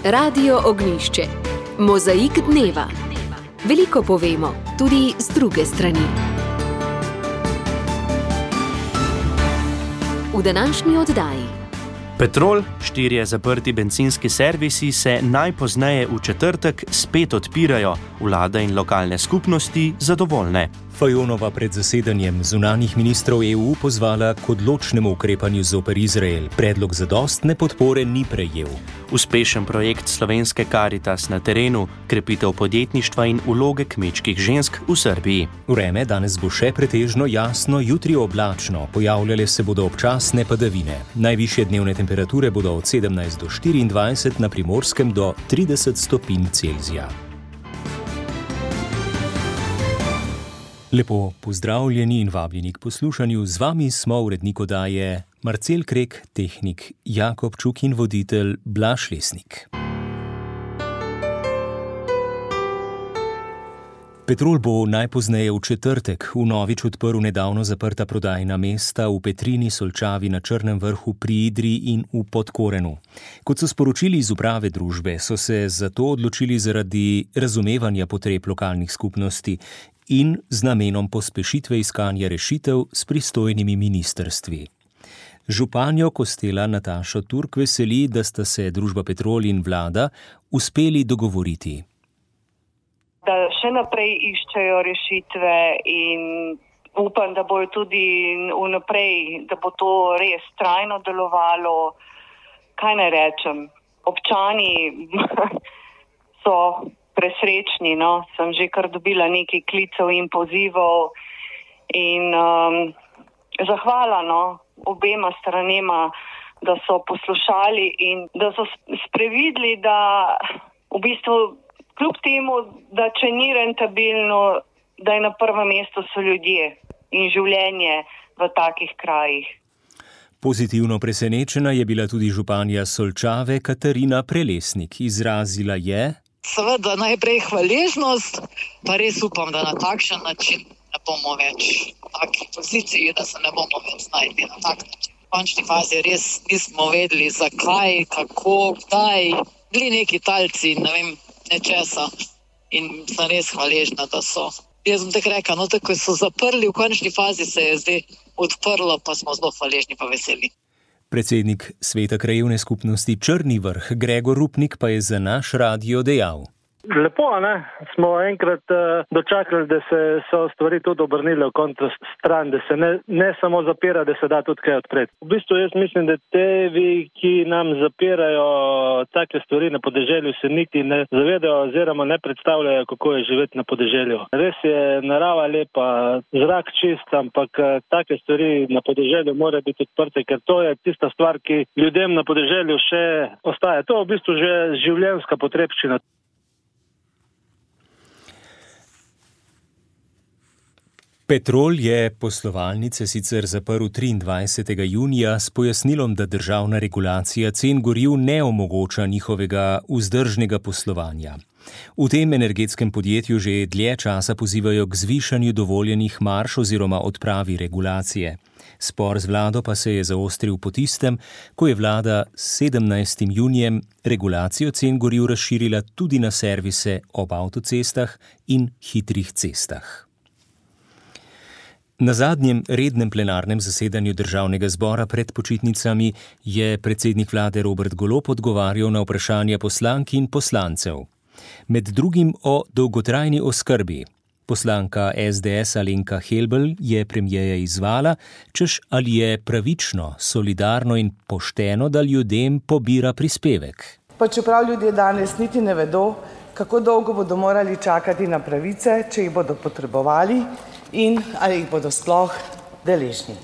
Radio Ognjišče. Mozaik dneva. Veliko povemo, tudi z druge strani. V današnji oddaji. Petrol, 4 zaprti bencinski servisi se najpozneje v četrtek spet odpirajo, vlada in lokalne skupnosti zadovoljne. Fajonova pred zasedanjem zunanjih ministrov EU pozvala k odločnemu ukrepanju zoper Izrael. Predlog zadostne podpore ni prejel. Uspešen projekt slovenske Karitas na terenu, krepitev podjetništva in vloge kmečkih žensk v Srbiji. Vreme danes bo še pretežno jasno, jutri oblačno, pojavljale se bodo občasne padavine. Najvišje dnevne temperature bodo od 17 do 24, na Primorskem do 30 stopinj Celzija. Lepo pozdravljeni in vabljeni k poslušanju. Z vami smo urednik oddaje Marcel Krek, tehnik Jakob Čuk in voditelj Blaž Lesnik. Petrol bo najpozneje v četrtek vnovič odprl nedavno zaprta prodajna mesta v Petrini, Solčavi, na Črnem Vrhu, pri Idriji in v Podkorenu. Kot so sporočili iz uprave družbe, so se zato odločili zaradi razumevanja potreb lokalnih skupnosti in z namenom pospešitve iskanja rešitev s pristojnimi ministrstvi. Županjo Kostela Natašo Turk veseli, da sta se družba Petrol in vlada uspeli dogovoriti. Da še naprej iščejo rešitve in upam, da bojo tudi vnaprej, da bo to res trajno delovalo. Kaj naj rečem? Občani so presrečni, no. Sem že kar dobila nekaj klicev in pozivov in zahvala, no, obema stranema, da so poslušali in da so sprevidli, da v bistvu kljub temu, da če ni rentabilno, da je na prvem mestu so ljudje in življenje v takih krajih. Pozitivno presenečena je bila tudi županja Solčave Katarina Prelesnik. Izrazila je: seveda najprej hvaležnost, pa res upam, da na takšen način ne bomo več v taki poziciji, da se ne bomo več znašli na tak način. V končni fazi res nismo vedeli, zakaj, kako, kdaj, bili neki talci, ne vem, nečesa. In sem res hvaležna, da so. Jaz sem tako rekla, no tako so zaprli, v končni fazi se je zdaj odprlo, pa smo zelo hvaležni pa veseli. Predsednik Sveta krajevne skupnosti Črni Vrh Gregor Rupnik pa je za naš radio dejal: lepo, ne? Smo enkrat dočakali, da so stvari tudi obrnile v kontra stran, da se ne samo zapira, da se da tudi kaj odpreti. V bistvu jaz mislim, da tevi, ki nam zapirajo take stvari na podeželju, se niti ne zavedajo oziroma ne predstavljajo, kako je živeti na podeželju. Res je narava lepa, zrak čist, ampak take stvari na podeželju mora biti odprte, ker to je tista stvar, ki ljudem na podeželju še ostaja. To je v bistvu že življenjska potrebščina. Petrol je poslovalnice sicer zaprl 23. junija s pojasnilom, da državna regulacija cen goriv ne omogoča njihovega vzdržnega poslovanja. V tem energetskem podjetju že dlje časa pozivajo k zvišanju dovoljenih marž oziroma odpravi regulacije. Spor z vlado pa se je zaostril po tistem, ko je vlada s 17. junijem regulacijo cen goriv razširila tudi na servise ob avtocestah in hitrih cestah. Na zadnjem rednem plenarnem zasedanju Državnega zbora pred počitnicami je predsednik vlade Robert Golob odgovarjal na vprašanja poslank in poslancev. Med drugim o dolgotrajni oskrbi. Poslanka SDS Alenka Helbl je premierja izzvala, češ ali je pravično, solidarno in pošteno, da ljudem pobira prispevek. Pa čeprav ljudje danes niti ne vedo, kako dolgo bodo morali čakati na pravice, če jih bodo potrebovali, in ali jih bodo sploh deležni.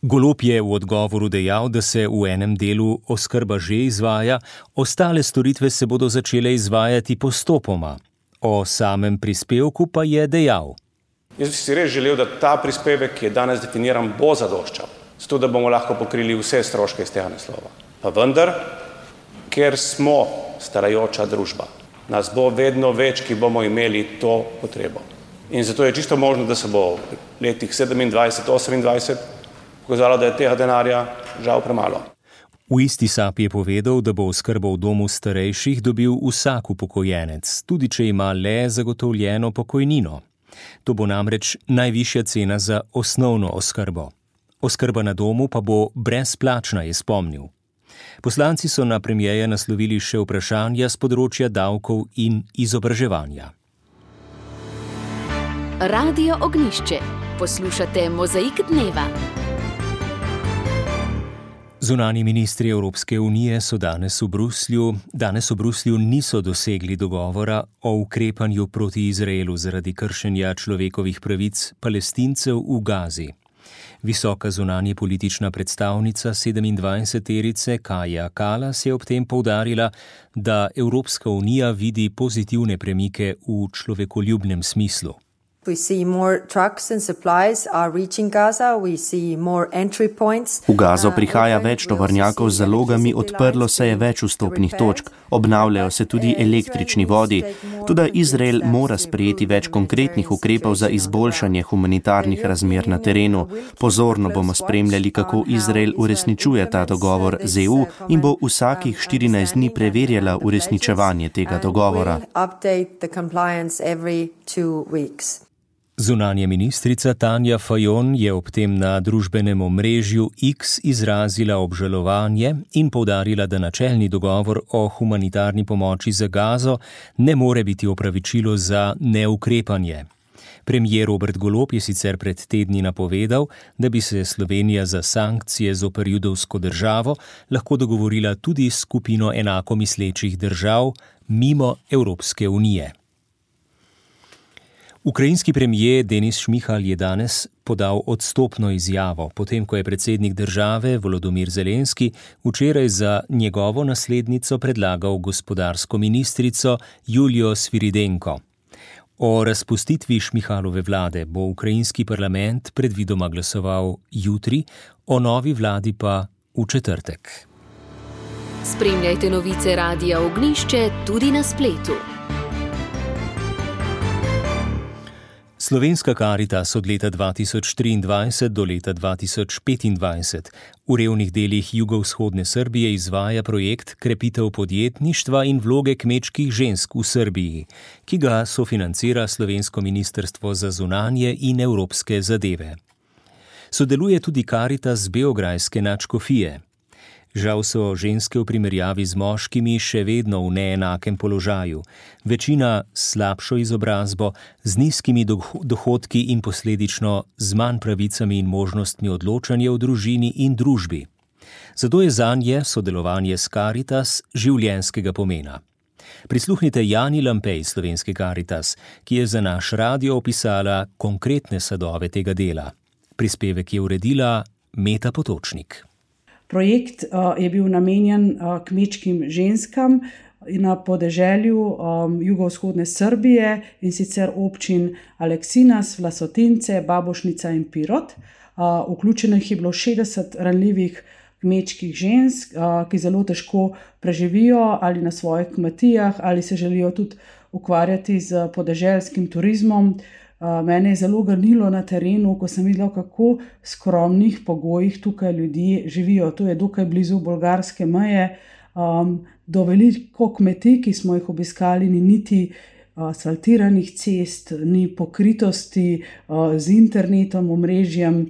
Golob je v odgovoru dejal, da se v enem delu oskrba že izvaja, ostale storitve se bodo začele izvajati postopoma. O samem prispevku pa je dejal: jaz bi si res želel, da ta prispevek, ki je danes definiran, bo zadoščal, zato da bomo lahko pokrili vse stroške iz tega naslova. Pa vendar, ker smo starajoča družba, nas bo vedno več, ki bomo imeli to potrebo. In zato je čisto možno, da se bo v letih 27, 28 pokazalo, da je tega denarja žal premalo. V V isti sapi je povedal, da bo oskrbo v domu starejših dobil vsak upokojenec, tudi če ima le zagotovljeno pokojnino. To bo namreč najvišja cena za osnovno oskrbo. Oskrba na domu pa bo brezplačna, je spomnil. Poslanci so na premierja naslovili še vprašanja s področja davkov in izobraževanja. Radio Ognjišče. Poslušate Mozaik dneva. Zunanji ministri Evropske unije so danes v Bruslju niso dosegli dogovora o ukrepanju proti Izraelu zaradi kršenja človekovih pravic Palestincev v Gazi. Visoka zunanje politična predstavnica 27-terice Kaja Kallas je ob tem poudarila, da Evropska unija vidi pozitivne premike v človekoljubnem smislu. We see more trucks and supplies are reaching Gaza. We see more entry points. V Gazo prihaja več tovornjakov z zalogami, odprlo se je več vstopnih točk, obnavljajo se tudi električni vodi. Toda Izrael mora sprejeti več konkretnih ukrepov za izboljšanje humanitarnih razmer na terenu. Pozorno bomo spremljali, kako Izrael uresničuje ta dogovor z EU in bo vsakih 14 dni preverjala uresničevanje tega dogovora. Zunanja ministrica Tanja Fajon je ob tem na družbenem omrežju X izrazila obžalovanje in poudarila, da načelni dogovor o humanitarni pomoči za Gazo ne more biti opravičilo za neukrepanje. Premier Robert Golob je sicer pred tedni napovedal, da bi se Slovenija za sankcije zoper judovsko državo lahko dogovorila tudi s skupino enako mislečih držav mimo Evropske unije. Ukrajinski premier Denis Šmihal je danes podal odstopno izjavo, potem ko je predsednik države Volodymyr Zelenski včeraj za njegovo naslednico predlagal gospodarsko ministrico Julijo Sviridenko. O razpustitvi Šmihalove vlade bo ukrajinski parlament predvidoma glasoval jutri, o novi vladi pa v četrtek. Spremljajte novice Radia Ognjišče tudi na spletu. Slovenska Karitas od leta 2023 do leta 2025 v revnih delih jugovzhodne Srbije izvaja projekt Krepitev podjetništva in vloge kmečkih žensk v Srbiji, ki ga sofinancira Slovensko ministrstvo za zunanje in evropske zadeve. Sodeluje tudi Karitas beograjske nadškofije. Žal so ženske v primerjavi z moškimi še vedno v neenakem položaju. Večina s slabšo izobrazbo, z nizkimi dohodki in posledično z manj pravicami in možnostmi odločanja v družini in družbi. Zato je zanje sodelovanje s Karitas življenjskega pomena. Prisluhnite Jani Lampej Slovenske Karitas, ki je za naš radio opisala konkretne sadove tega dela. Prispevek je uredila Meta Potočnik. Projekt je bil namenjen kmečkim ženskam na podeželju jugovzhodne Srbije in sicer občin Aleksinas, Vlasotince, Babošnica in Pirot. Vključenih je bilo 60 ranljivih kmečkih žensk, ki zelo težko preživijo ali na svojih kmetijah ali se želijo tudi ukvarjati z podeželskim turizmom. Mene je zelo ganilo na terenu, ko sem videla, kako skromnih pogojih tukaj ljudje živijo. To je dokaj blizu bolgarske meje. Do veliko kmetij, ki smo jih obiskali, ni niti asfaltiranih cest, ni pokritosti z internetom, omrežjem.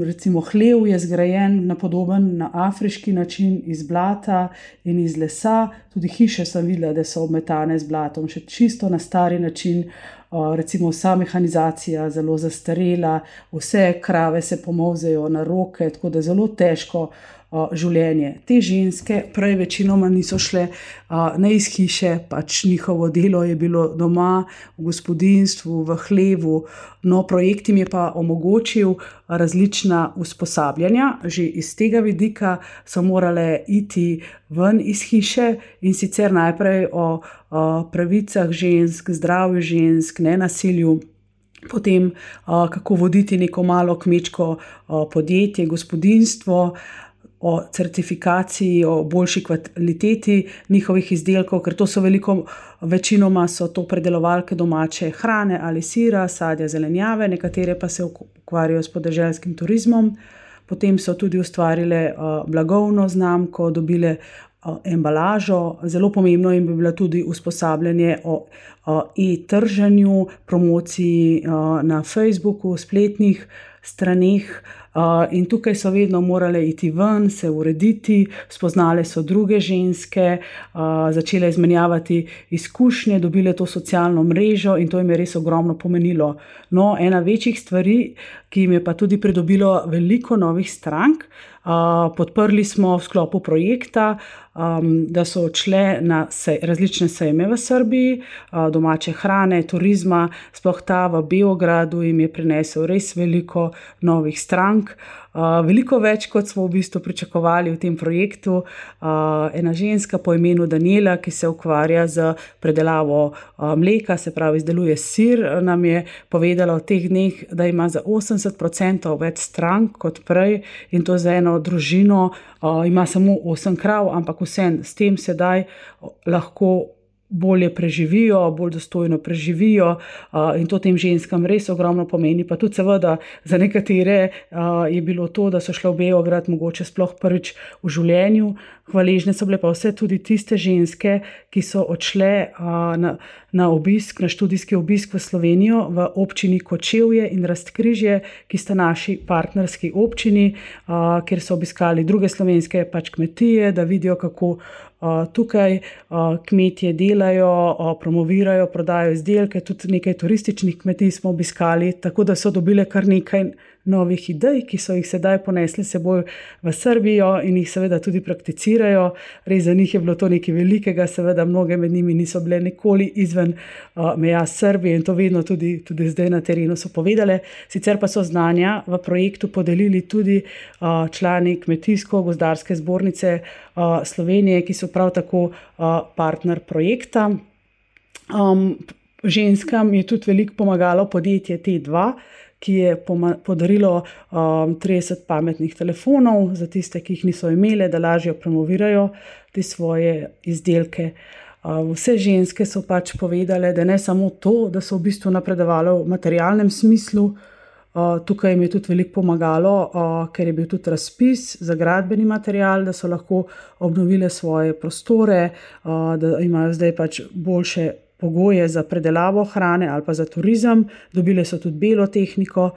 Recimo hlev je zgrajen na podoben, na afriški način iz blata in iz lesa. Tudi hiše sem videla, da so obmetane z blatom, še čisto na stari način. Recimo vsa mehanizacija zelo zastarela, vse krave se pomolzejo na roke, tako da zelo težko življenje. Te ženske prej večinoma niso šle ne iz hiše, pač njihovo delo je bilo doma, v gospodinjstvu, v hlevu. No, projekt jim je pa omogočil različna usposabljanja. Že iz tega vidika so morale iti ven iz hiše in sicer najprej o pravicah žensk, zdravju žensk, nenasilju, potem kako voditi neko malo kmečko podjetje, gospodinjstvo, o certifikaciji, o boljši kvaliteti njihovih izdelkov, ker to so večinoma so to predelovalke domače hrane ali sira, sadja, zelenjave, nekatere pa se ukvarjajo s podeželskim turizmom. potem so tudi ustvarile blagovno znamko, dobile embalažo. Zelo pomembno jim bi bilo tudi usposabljanje o e-trženju, promociji na Facebooku, spletnih straneh. In tukaj so vedno morale iti ven, se urediti, spoznale so druge ženske, začele izmenjavati izkušnje, dobile to socialno mrežo in to jim je res ogromno pomenilo. No, ena večjih stvari, ki jim je pa tudi pridobilo veliko novih strank, podprli smo v sklopu projekta, da so odšle na različne sejme v Srbiji, domače hrane, turizma, sploh ta v Beogradu jim je prinesel res veliko novih strank. Veliko več, kot smo v bistvu pričakovali v tem projektu. Ena ženska po imenu Daniela, ki se ukvarja z predelavo mleka, se pravi izdeluje sir, nam je povedala v teh dneh, da ima za 80% več strank kot prej in to za eno družino. Ima samo 8 krav, ampak vsem s tem sedaj lahko bolje preživijo, bolj dostojno preživijo in to tem ženskam res ogromno pomeni. Pa tudi seveda za nekatere je bilo to, da so šle v Beograd mogoče sploh prvič v življenju. Hvaležne so bile pa vse tudi tiste ženske, ki so odšle na obisk, na študijski obisk v Slovenijo, v občini Kočevje in Rastkrižje, ki sta naši partnerski občini, kjer so obiskali druge slovenske kmetije, da vidijo, kako tukaj kmetje delajo, promovirajo, prodajo izdelke, tudi nekaj turističnih kmetij smo obiskali, tako da so dobile kar nekaj novih idej, ki so jih sedaj ponesli seboj v Srbijo in jih seveda tudi prakticirajo. Res za njih je bilo to nekaj velikega, seveda mnoge med njimi niso bile nikoli izven meja Srbije in to vedno tudi zdaj na terenu so povedale. Sicer pa so znanja v projektu podelili tudi člani Kmetijsko-gozdarske zbornice Slovenije, ki so prav tako partner projekta. Ženskam je tudi veliko pomagalo podjetje T2, ki je podarilo 30 pametnih telefonov za tiste, ki jih niso imele, da lažje promovirajo te svoje izdelke. Vse ženske so povedale, da ne samo to, da so v bistvu napredovale v materialnem smislu, tukaj jim je tudi veliko pomagalo, ker je bil tudi razpis za gradbeni material, da so lahko obnovile svoje prostore, da imajo zdaj boljše pogoje za predelavo hrane ali pa za turizem, dobile so tudi belo tehniko.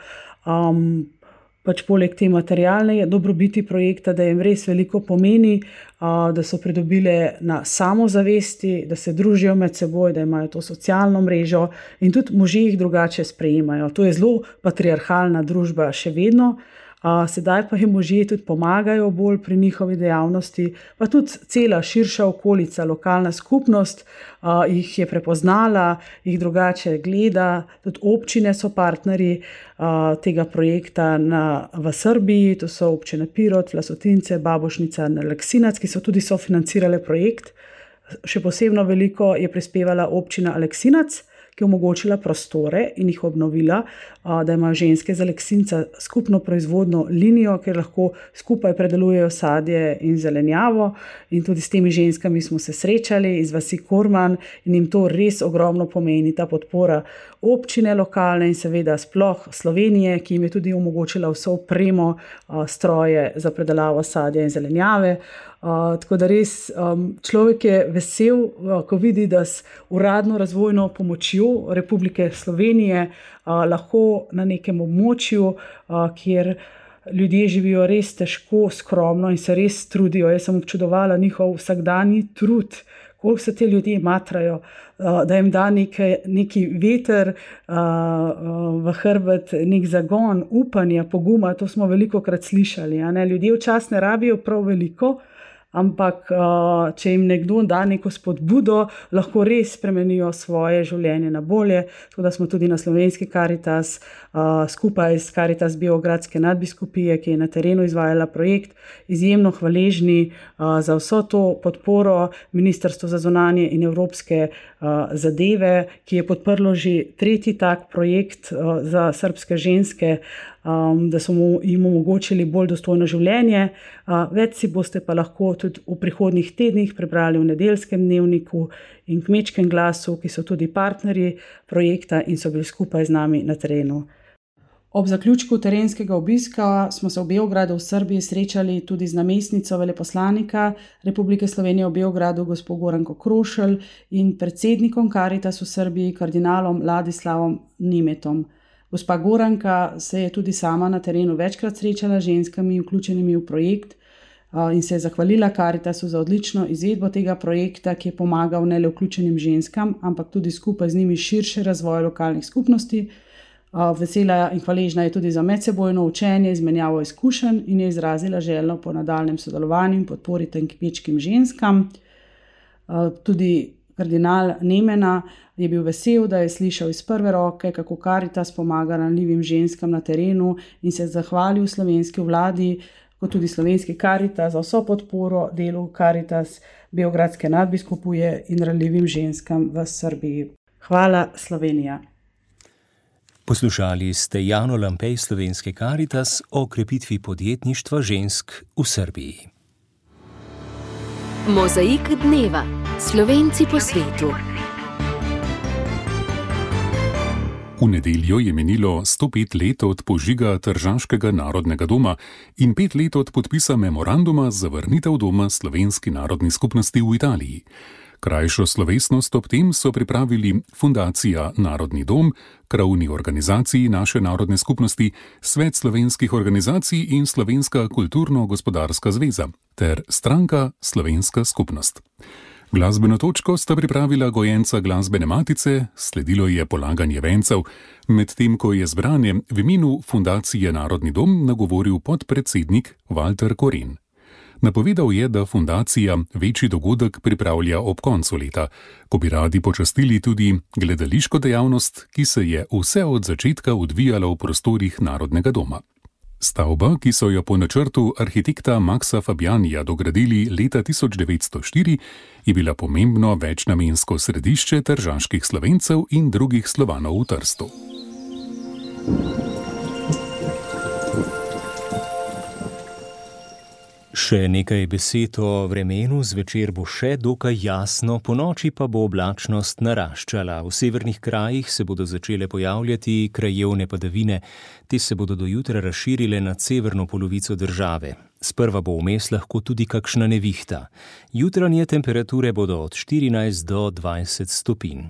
Poleg te materialne dobrobiti projekta, da jim res veliko pomeni, da so pridobile na samozavesti, da se družijo med seboj, da imajo to socialno mrežo in tudi možje jih drugače sprejemajo. To je zelo patriarhalna družba še vedno. Sedaj pa jim možje tudi pomagajo bolj pri njihovi dejavnosti, pa tudi cela širša okolica, lokalna skupnost jih je prepoznala, jih drugače gleda, tudi občine so partnerji tega projekta v Srbiji, to so občine Pirot, Vlasotince, Babušnica in Aleksinac, ki so tudi sofinancirale projekt. Še posebno veliko je prispevala občina Aleksinac, ki je omogočila prostore in jih obnovila, da imajo ženske z Aleksinca skupno proizvodno linijo, kjer lahko skupaj predelujejo sadje in zelenjavo. In tudi s temi ženskami smo se srečali iz vasi Korman in jim to res ogromno pomeni, ta podpora občine lokalne in seveda sploh Slovenije, ki jim je tudi omogočila vso opremo, stroje za predelavo sadja in zelenjave. Tako da res človek je vesel, ko vidi, da s uradno razvojno pomočjo Republike Slovenije lahko na nekem območju, kjer ljudje živijo res težko, skromno in se res trudijo. Jaz sem občudovala njihov vsakdanji trud, koliko se te ljudje matrajo, da jim da neki veter v hrbet, nek zagon, upanja, poguma. To smo velikokrat slišali. Ljudje včasih ne rabijo prav veliko, ampak če jim nekdo da neko spodbudo, lahko res spremenijo svoje življenje na bolje. Tako da smo tudi na Slovenski Karitas skupaj s Karitas Beogradske nadbiskupije, ki je na terenu izvajala projekt, izjemno hvaležni za vso to podporo Ministrstvo za zunanje in evropske zadeve, ki je podprlo že 3. tak projekt za srbske ženske, da so jim omogočili bolj dostojno življenje. Več si boste pa lahko tudi v prihodnjih tednih prebrali v Nedeljskem dnevniku in Kmečkem glasu, ki so tudi partnerji projekta in so bili skupaj z nami na terenu. Ob zaključku terenskega obiska smo se v Beogradu v Srbiji srečali tudi z namestnico veleposlanika Republike Slovenije v Beogradu, gospod Goranko Krošelj, in predsednikom Karitas v Srbiji, kardinalom Ladislavom Nemetom. Gospa Goranka se je tudi sama na terenu večkrat srečala z ženskami, vključenimi v projekt, in se je zahvalila Karitasu za odlično izvedbo tega projekta, ki je pomagal ne le vključenim ženskam, ampak tudi skupaj z njimi širše razvoj lokalnih skupnosti. Vesela in hvaležna je tudi za medsebojno učenje, izmenjavo izkušenj in je izrazila željo po nadaljnjem sodelovanju in podpori tem kmečkim ženskam. Tudi kardinal Nemena je bil vesel, da je slišal iz prve roke, kako Karitas pomaga ranljivim ženskam na terenu, in se zahvalil slovenski vladi, kot tudi slovenski Karitas, za vso podporo delu Karitas Beogradske nadbiskupije in ranljivim ženskam v Srbiji. Hvala, Slovenija. Poslušali ste Jano Lampej slovenske Karitas o krepitvi podjetništva žensk v Srbiji. Mozaik dneva. Slovenci po svetu. V nedeljo je minilo 105 let od požiga Tržaškega narodnega doma in 5 let od podpisa memoranduma za vrnitev doma slovenski narodni skupnosti v Italiji. Krajšo slovesnost ob tem so pripravili Fundacija Narodni dom, krovni organizaciji naše narodne skupnosti, Svet slovenskih organizacij in Slovenska kulturno-gospodarska zveza ter stranka Slovenska skupnost. Glasbeno točko sta pripravila gojenca glasbene matice, sledilo je polaganje vencev, medtem ko je zbranje v imenu Fundacije Narodni dom nagovoril podpredsednik Walter Koren. Napovedal je, da fundacija večji dogodek pripravlja ob koncu leta, ko bi radi počastili tudi gledališko dejavnost, ki se je vse od začetka odvijala v prostorih Narodnega doma. Stavba, ki so jo po načrtu arhitekta Maxa Fabianija dogradili leta 1904, je bila pomembno večnamensko središče tržaških Slovencev in drugih Slovanov v Trstu. Še nekaj besed o vremenu. Zvečer bo še dokaj jasno, ponoči pa bo oblačnost naraščala. V severnih krajih se bodo začele pojavljati krajevne padavine. Te se bodo do jutra razširile nad severno polovico države. Sprva bo vmes lahko tudi kakšna nevihta. Jutranje temperature bodo od 14 do 20 stopinj.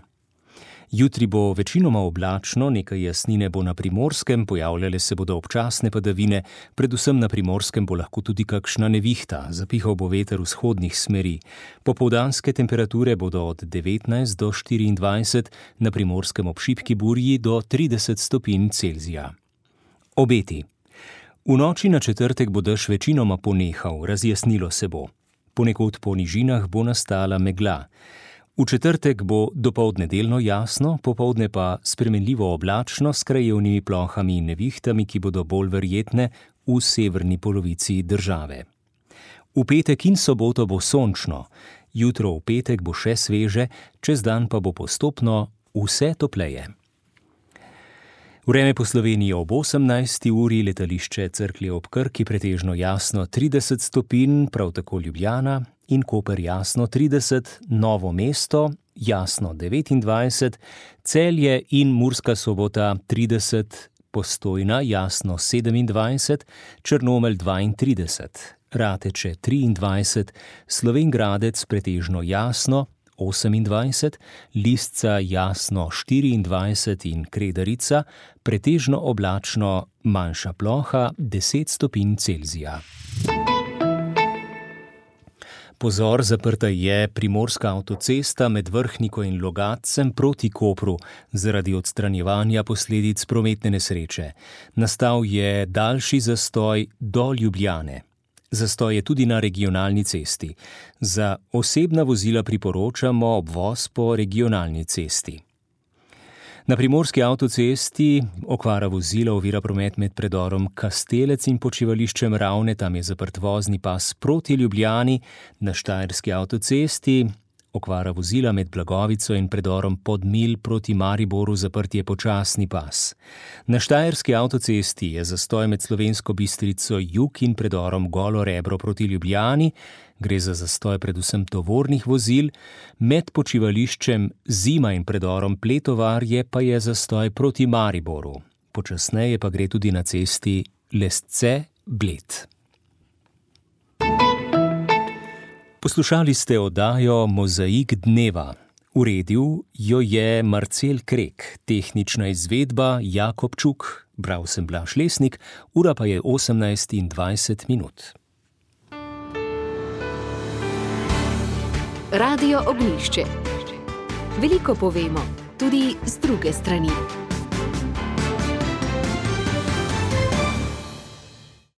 Jutri bo večinoma oblačno, nekaj jasnine bo na Primorskem, pojavljale se bodo občasne padavine, predvsem na Primorskem bo lahko tudi kakšna nevihta, zapihal bo veter vzhodnih smeri. Popoldanske temperature bodo od 19 do 24, na Primorskem ob šibki burji do 30 stopinj Celzija. Obeti. V noči na četrtek bo dež večinoma ponehal, razjasnilo se bo. Ponekod po nižinah bo nastala megla. V četrtek bo dopoldne delno jasno, popoldne pa spremenljivo oblačno s krajevnimi plohami in nevihtami, ki bodo bolj verjetne v severni polovici države. V petek in soboto bo sončno, jutro v petek bo še sveže, čez dan pa bo postopno vse topleje. Vreme po Sloveniji ob 18. uri, letališče Cerklje ob Krki pretežno jasno 30 stopinj, prav tako Ljubljana in Koper jasno 30, Novo mesto jasno 29, Celje in Murska Sobota 30, Postojna jasno 27, Črnomelj 32, Rateče 23, Slovenj Gradec pretežno jasno 28, Lisca jasno 24 in Kredarica pretežno oblačno, manjša ploha 10 stopinj Celzija. Pozor, zaprta je primorska avtocesta med Vrhniko in Logatcem proti Kopru zaradi odstranjevanja posledic prometne nesreče. Nastal je daljši zastoj do Ljubljane. Zastoj je tudi na regionalni cesti. Za osebna vozila priporočamo obvoz po regionalni cesti. Na primorski avtocesti okvara vozila ovira promet med predorom Kastelec in počivališčem Ravne, tam je zaprt vozni pas proti Ljubljani. Na štajerski avtocesti okvara vozila med Blagovico in predorom Podmilj proti Mariboru, zaprt je počasni pas. Na štajerski avtocesti je zastoj med Slovensko Bistrico jug in predorom Golo Rebro proti Ljubljani. Gre za zastoj predvsem tovornih vozil. Med počivališčem Zima in predorom Pletovarje pa je zastoj proti Mariboru. počasneje pa gre tudi na cesti Lesce-Bled. Poslušali ste oddajo Mozaik dneva. Uredil jo je Marcel Krek, tehnična izvedba Jakob Čuk, bral sem Blaž Lesnik, ura pa je 18:20. Radio Ognjišče. Veliko povemo, tudi z druge strani.